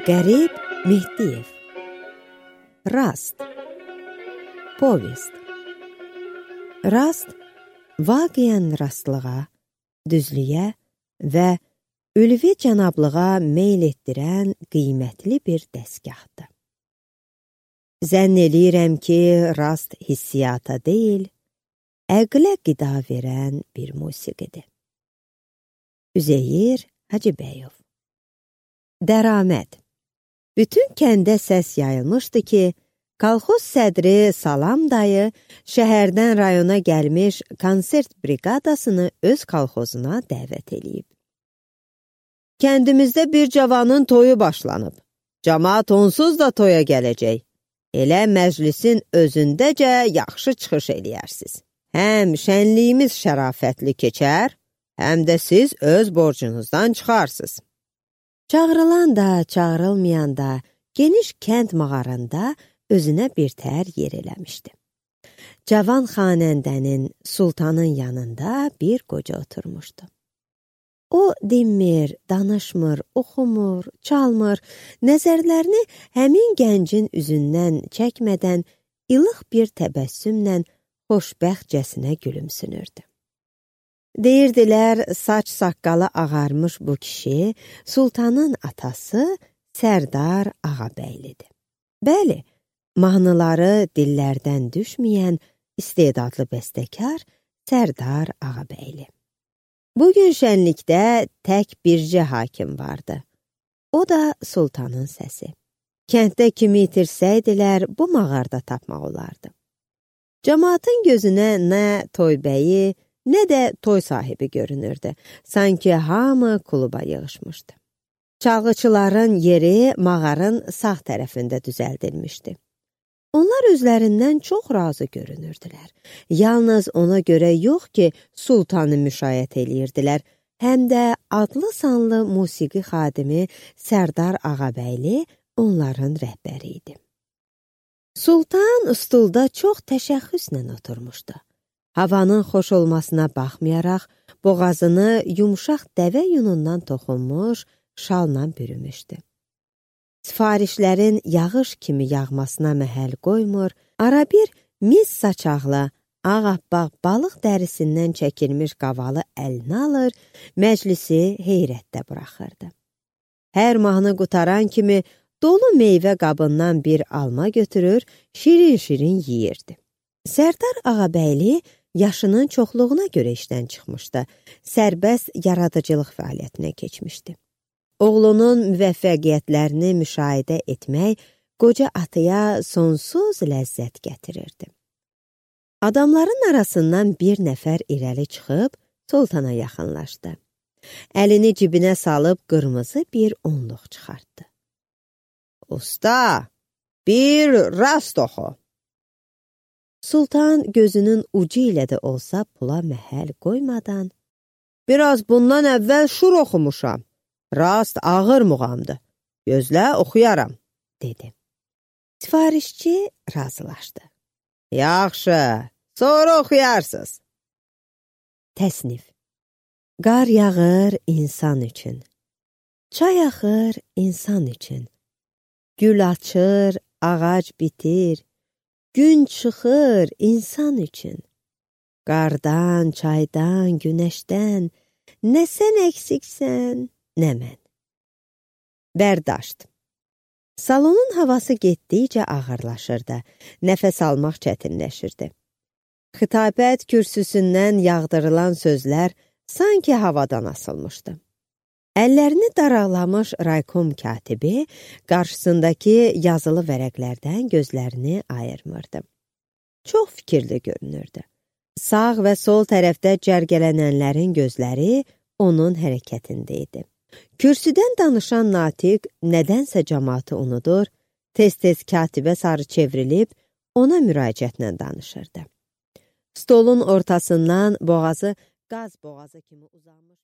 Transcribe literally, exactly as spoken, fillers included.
Qərib Mehdiyev. Rast. Povest. Rast, vaqiən rastlığa, düzlüyə və ülvi cənablığa meyl etdirən qiymətli bir dəstgahdır. Zənn eləyirəm ki, rast hissiyata deyil, əqlə qida verən bir musiqidir. Üzeyir Hacıbəyov. Dəraməd. Bütün kəndə səs yayılmışdı ki, kolxoz sədri Salam dayı şəhərdən rayona gəlmiş konsert briqadasını öz kolxozuna dəvət eləyib. Kəndimizdə bir cavanın toyu başlanıb. Camaat onsuz da toya gələcək. Elə məclisin özündəcə yaxşı çıxış eləyərsiz. Həm şənliyimiz şərafətli keçər, həm də siz öz borcunuzdan çıxarsınız. Çağrılan da, çağrılmayan da geniş kənd mağarında özünə bir tər yer eləmişdi. Cavan xanəndənin, sultanın yanında bir qoca oturmuşdu. O dinmir, danışmır, oxumur, çalmır, nəzərlərini həmin gəncin üzündən çəkmədən ilıq bir təbəssümlə xoşbəxtcəsinə gülümsünürdü. Deyirdilər, saç saqqalı ağarmış bu kişi sultanın atası Sərdar Ağabəylidir. Bəli, mahnıları dillərdən düşməyən istedadlı bəstəkar Sərdar Ağabəyli. Bugün şənlikdə tək bircə hakim vardı. O da sultanın səsi. Kənddə kimi itirsəydilər, bu mağarda tapmaq olardı. Cəmaatın gözünə nə toybəyi, nə də toy sahibi görünürdü. Sanki hamı kluba yığışmışdı. Çalğıçıların yeri mağarın sağ tərəfində düzəldilmişdi. Onlar özlərindən çox razı görünürdülər. Yalnız ona görə yox ki, sultanı müşayiət eləyirdilər, həm də adlı sanlı musiqi xadimi Sərdar Ağabəyli onların rəhbəri idi. Sultan stulda çox təşəxxüslə oturmuşdu. Havanın xoş olmasına baxmayaraq, boğazını yumşaq dəvə yunundan toxunmuş, şalla bürümüşdü. Sifarişlərin yağış kimi yağmasına məhəl qoymur, arabir mis saçaqlı, ağappaq balıq dərisindən çəkilmiş qavalı əlinə alır, məclisi heyrətdə buraxırdı. Hər mahnı qutaran kimi dolu meyvə qabından bir alma götürür, şirin-şirin yeyirdi. Sərdar Ağabəyli yaşının çoxluğuna görə işdən çıxmışdı, sərbəst yaradıcılıq fəaliyyətinə keçmişdi. Oğlunun müvəffəqiyyətlərini müşahidə etmək qoca atıya sonsuz ləzzət gətirirdi. Adamların arasından bir nəfər irəli çıxıb sultana yaxınlaşdı. Əlini cibinə salıb qırmızı bir onluq çıxartdı. Usta, bir rast oxu. Sultan gözünün ucu ilə də olsa pula məhəl qoymadan, biraz bundan əvvəl şur oxumuşam. Rast ağır muğamdır. Gözlə, oxuyaram, dedi. Sifarişçi razılaşdı. Yaxşı, sonra oxuyarsınız. Təsnif. Qar yağır insan üçün. Çay axır insan üçün. Gül açır, ağac bitir. Gün çıxır insan üçün. Qardan, çaydan, günəşdən, nə sən əksiksən, nə mən. Bərdaşt. Salonun havası getdikcə ağırlaşırdı, nəfəs almaq çətinləşirdi. Xitabət kürsüsündən yağdırılan sözlər sanki havadan asılmışdı. Əllərini daraqlamış raykom katibi qarşısındakı yazılı vərəqlərdən gözlərini ayırmırdı. Çox fikirli görünürdü. Sağ və sol tərəfdə cərgələnənlərin gözləri onun hərəkətində idi. Kürsüdən danışan natiq nədənsə cəmaatı unudur, tez-tez katibə sarı çevrilib ona müraciətlə danışırdı. Stolun ortasından boğazı qaz boğazı kimi uzanmış